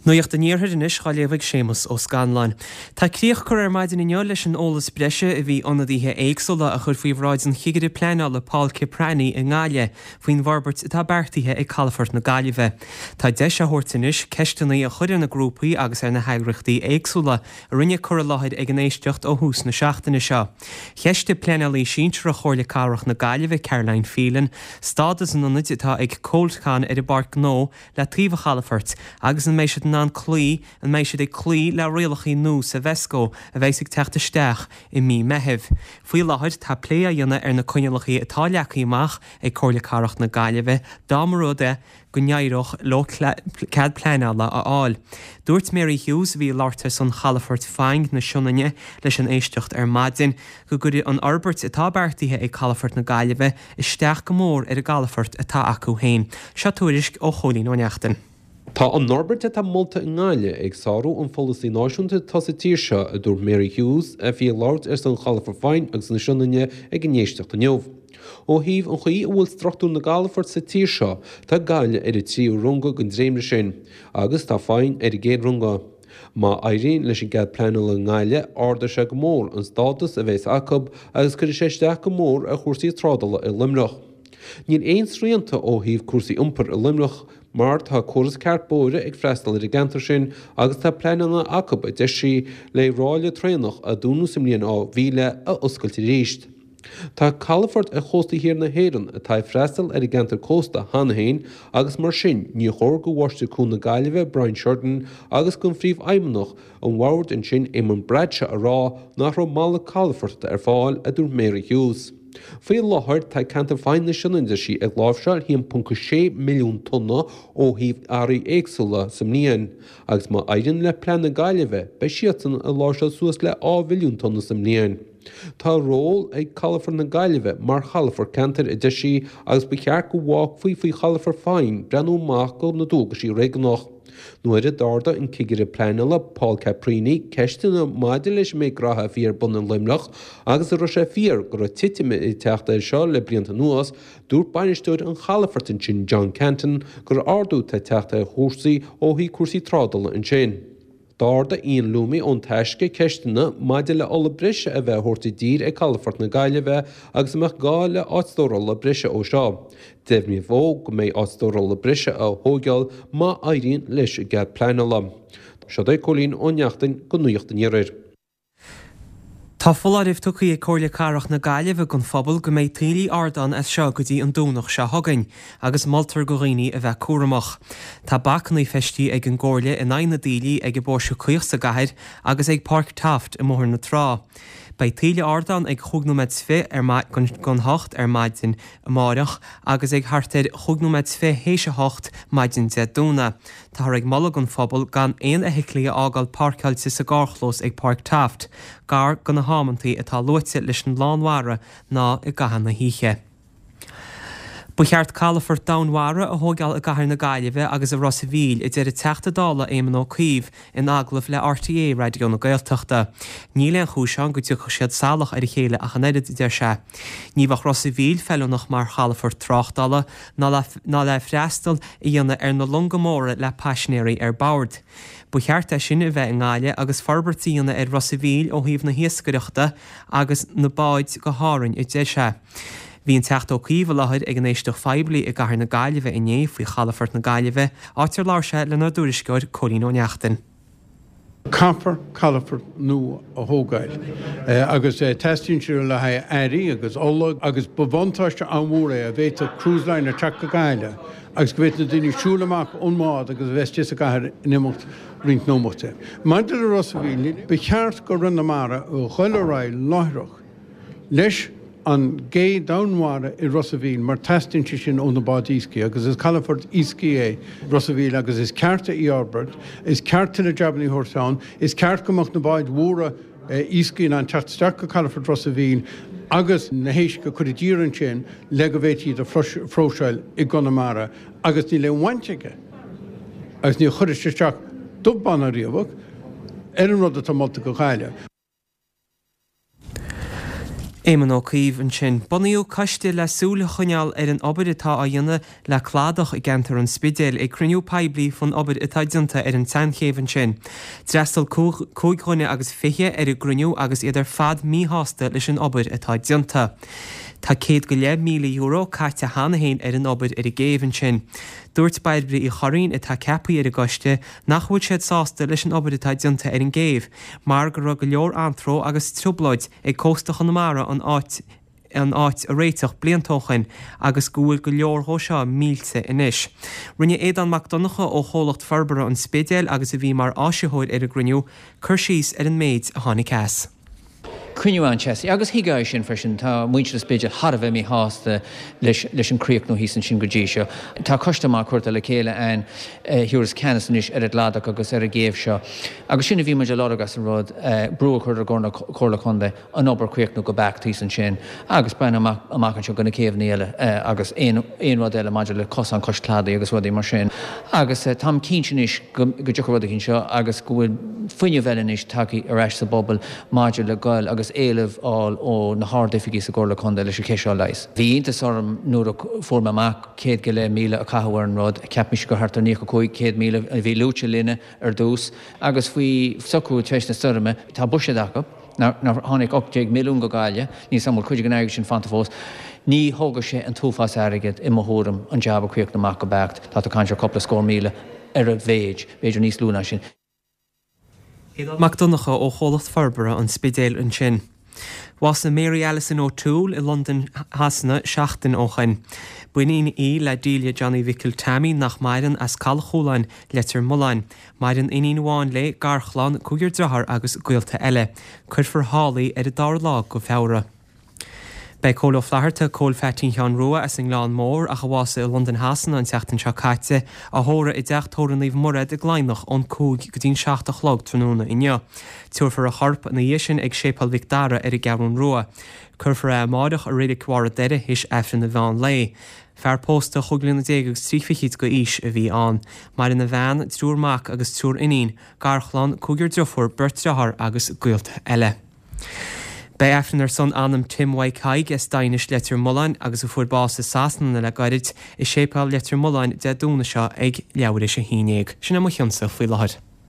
Nuacht an Iarthair anois á léamh ag Séamus Ó Scanláin. Tá críoch curtha ar maidin inniu leis an eolas breise a bhí ionadaithe éagsúla a chur faoi bhráid an Chigire Pleanála Paul Ciprani i nGaillimh faoin bhforbairt atá beartaithe ag Calafort na Gaillimhe. Tá deis á thabhairt anois ceisteanna a chur ar na grúpaí agus ar na heagraíochtaí éagsúla a rinne cur i láthair ag an éisteacht ó thús na seachtaine seo. Cheistigh Pleanálaí Sinsearach Chomhairle Cathrach na Gaillimhe, Caroline Phelan, stádas an ionaid atá ag Coldcon ar an bPáirc Ghnó le taobh an chalafoirt agus an mbeidh siad in ann cloí an mbeidh siad ag cloí le rialacha nua Seveso a bheas ag teacht isteach i mí Meithimh. Faoi láthair tá plé á dhéanamh ar na coinníollacha atá leagtha amach ag Comhairle Cathrach na Gaillimhe dá mba rud é go n-éireodh leo cead pleanála a fháil. Dúirt Mary Hughes, a bhí ag labhairt ar son Chalafort Faing na Sionainne leis an éisteacht ar maidin, go gcuirfidh an fhorbairt atá beartaithe ag Calafort na Gaillimhe isteach go mór ar an gcalafort atá acu féin. Seo tuairisc ó Chóilín Ó Neachtain. Tá an fhorbairt atá molta i nGaillimh ag sárú an pholasaí náisiúnta atá sa tír seo, a dúirt Mary Hughes, a bhí ag labhairt ar son Chalafort Faing agus na Sionainne ag an éisteacht inniu. Ó thaobh an chaoi a bhfuil struchtúr na gcalafort sa tír seo, tá Gaillimh ar an tríú runga den dréimire sin, agus tá Faing ar an gcéad runga. Má éiríonn leis an gcead pleanála i nGaillimh, ardóidh sé go mór an stádas a bheas acu agus cuirfidh sé isteach go mór ar chúrsaí trádála i Luimneach. Níl aon srianta ó thaobh cúrsaí iompair i Luimneach mar tá córas ceart bóithre ag freastal ar an gceantar sin agus tá pleananna acu, a deir sí, le ráille traenach a dúnadh sa mbliain 2000 a oscailt arís. Tá calafort ar chósta thiar na hÉireann atá ag freastal ar an gceantar cósta cheana féin agus mar sin ní chóir do Mháistir Cuain na Gaillimhe Brian Sheridan agus don Phríomhfheidhmeannach an bhoird ansin Eamon Bradshaw a rá nach raibh malairt calafoirt ar fáil, a dúirt Mary Hughes. Faoi láthair tá ceantar Faing na Sionainne, deir sí, ag láimhseáil 1.6 milliún tonna ó thaobh earraí éagsúla sa mbliain agus má éiríonn le plean na Gaillimhe beidh siadsan ag láimhseáil suas le 2 mhilliún tonna sa mbliain. Tá ról ag Calafort na Gaillimhe mar chalafort ceantair, a deir sí, agus ba cheart go bhfágfaí faoi Chalafort Faing breathnú amach do na dualgaisí réigiúnach. Nuair a d'ardaigh an Cigire Pleanála, Paul Caprini, ceisteanna maidir leis an méid graithe a bhí ar bun i Luimneach agus an raibh sé fíor go raibh titim ag teacht air seo le blianta anuas, dúirt bainisteoir an chalafoirt ansin, John Canton, gur ardú atá ag teacht ar chúrsaí ó thaobh cúrsaí trádála ansin. D'ardaigh Ian Loomey ón Taisce ceisteanna maidir le ola breise a bheith á thabhairt i dtír ag Calafort na Gaillimhe agus an mbeadh gá le áit stórála breise ó seo. Deimhníodh dó go mbeidh áit stórála breise á thóigeáil má éiríonn leis an gcead pleanála. Seo é Cóilín Ó Neachtain do Nuacht an Iarthair. Tá foláireamh tugtha ag Comhairle Cathrach na Gaillimhe don phobal go mbeidh taoillí ard ann as seo go dtí an Domhnach seo chugainn agus moltar do dhaoine a bheith cúramach. Tá bacanna feistithe ag an gComhairle in aghaidh na dtaoillí ag an bPóirse Caoch sa gcathair agus ag Páirc Taft i mBóthar na Trá. Beidh taoille ard ann ag chúig nóiméad 's fi ar don hocht ar maidin amáireach agus ag thart ar chúig nóiméad 's fi théis a hocht maidin Dé Domhnaigh. Táthar ag moladh don phobal gan aon fheithiclí a fhágáil páirceáilte sa gcarrchlós ag Páirc Taft, gar do na hamantaí atá luaite leis an lán mhara ná i gcaitheamh na hoíche. Ba cheart calafort domhainmhara a thóigeáil i gcathair na Gaillimhe agus i Ros a' Mhíl, a deir an Teachta Dála Éamon Ó Cuív in agallamh le RTÉ Raidió na Gaeltachta. Níl aon chúis ann go dtiocfadh siad salach ar a chéile ach an oiread, a deir sé. Ní bheadh Ros a' Mhíl feiliúnach mar chalafort tráchtála ná le freastal a dhéanamh ar na longa móra le paisinéirí ar bord. Ba cheart é sin a bheith i nGaillimh agus forbairt a dhéanamh ar Ros a' Mhíl ó thaobh na hiascaireachta agus na báid go hÁrainn, a deir sé. Bhí an Teachta Ó Cuív i láthair ag an éisteacht phoiblí i gcathair na Gaillimhe inné faoi chalafort na Gaillimhe, áit ar labhair sé lenár dtuairisceoir Cóilín Ó Neachtain. Caithfear calafort nua a thógáil agus teastaíonn sé le haghaidh earraí agus ola agus ba bhuntáiste an-mhór é dá bhféadfadh cruise liner teacht go Gaillimh agus go bhféadfadh na daoine siúl amach ón mbád agus a bheith istigh sa gcathair in imeacht roinnt nóimeataí. Maidir le Ros a' Mhíl, ba cheart go Roinn na Mara a dhul ar aghaidh láithreach leis an gcé domhainmhara i Ros a' Mhíl mar teastaíonn sé sin ó na báid iascaigh agus is calafort iascaigh é Ros a' Mhíl agus is ceart é a fhorbairt, is ceart tuilleadh jabanna a thabhairt ann, is ceart go mbeadh na báid mhóra iascaigh in ann teacht isteach go calafort Ros a' Mhíl agus na héisc a chur i dtír ansin le go bhféadfaí iad a phróiseáil i gConamara agus níl aon bhaint aige agus ní chuirfidh sé isteach dubh bán ná riabhach ar an rud atá molta go Gaillimh. Éamon Ó Cuív ansin. Bunaíodh coiste le súil a choinneáil ar an obair atá á dhéanamh le cladach i gceantar an Spidéil ag cruinniú poiblí faoin obair atá déanta ar an tSeanchéibh ansin. D'fhreastail 25 dhuine ar an gcruinniú agus iad ar fad míshásta leis an obair atá déanta. Tá €100,000 caite cheana féin ar an obair ar an gcéibh ansin. Dúirt Bairbre Uí Churraoin, atá ceaptha ar an gcoiste, nach bhfuil siad sásta leis an obair atá déanta ar an gcéibh mar go raibh go leor anró agus trioblóid ag cósta Chonamara an áit an áit a réiteach blianta ó shoin agus go bhfuil go leor dhó seo millte anois. Rinne Aodán Mac Donncha ó Chomhlacht Forbartha an Spidéil agus a bhí mar áisitheoir ar an gcruinniú, cur síos ar an méid a tháinig as. Cruinniú an-teasaí agus thuigfeá é sin freisin. Tá muintir an Spidéil thar a bheith míshásta leis leis an críochnú thíos ansin go dtí seo. Tá coiste maith curtha le chéile a'ainn a thiúrfas ceannas anois ar an gcladach agus ar an gcéibh seo. Agus sin a bhí muid a lorg as an rud, brú a chur ar an gComhairle Contae an obair a chríochnú go beacht thíos ansin agus breathnú amach amach anseo go na céibheanna eile agus aon aon rud eile maidir le cosán cois cladaigh agus rudaí mar sin. Agus táim cinnte anois go go dtiocfaidh rud éicint seo agus go bhfuil fuinneamh eile anois tagtha ar ais sa bpobal maidir le goil agus éileamh fháil ó na hard-oifigigh sa gComhairle Contae leis an cheist seo a leigheas. Bhí iontas orm nuair a fuair mé amach 100,000 a caitheadh ar an rud. Cheap mise gur thart ar 95, 100,000 a bhí luaite linne. ar dtús, agus faoi socrú tar éis na stoirme, tá buiséad acu, nár tháinig 18 milliún go Gaillimh, níl 's a'm an bhfuil cuid den airgead sin fanta fós. Ní thógfaidh sé an t-uafás airgead, i mo thuairim, an jab a chríochnú amach go beacht. Tá tú ag caint ar cúpla scór míle ar a mhéid, b'fhéidir níos lú ná sin. Aodán Mac Donncha ó Chomhlacht Forbartha an Spidéil ansin. Bhásaigh Mary Alison O'Toole i Londain Shasana seachtain ó shoin. B'iníon í le Delia Johnny Mhicil Tommy nach maireann as Caladh Chualáin, Leitir Mealláin. Maireann iníon amháin léi, garchlann, cúigear dearthár agus gaolta eile. Cuirfear thall í ar an dara lá go Feabhra. Beidh Cóil Ó Flatharta, Cóil Pheaitín Sheáin Rua as an nGleann Mór, ach a bhásaigh i Londain Shasana an tseachtain seo caite, á thórramh i dTeach Tórraimh Naomh Mairéad i gCladhnach ón 5 go dtí'n 7 a chlog tráthnóna inniu. Tabharfar a chorp ina dhiaidh sin ag Séipéal Mhic Dara ar an gCeathrún Rua. Cuirfear é amáireach i Reilig Bharr a' Doire théis Aifreann an mheán lae. Fear pósta, chúig bliana déag agus trí fichid go aois a bhí ann. Maireann a bhean, triúr mac agus triúr iníon, garchlann, cúigear driofúr, beirt dreáthár agus gaolta eile. Beidh Aifreann ar son anam Tim Mhaidhc Thaidhg as Daighinis Leitir Mealláin agus a fuair bás i Sasana le gairid, i Séipéal Leitir Mealláin Dé Domhnaigh seo ag leathuair théis a haon dhéag. Sin é mo chionsa faoi láthair.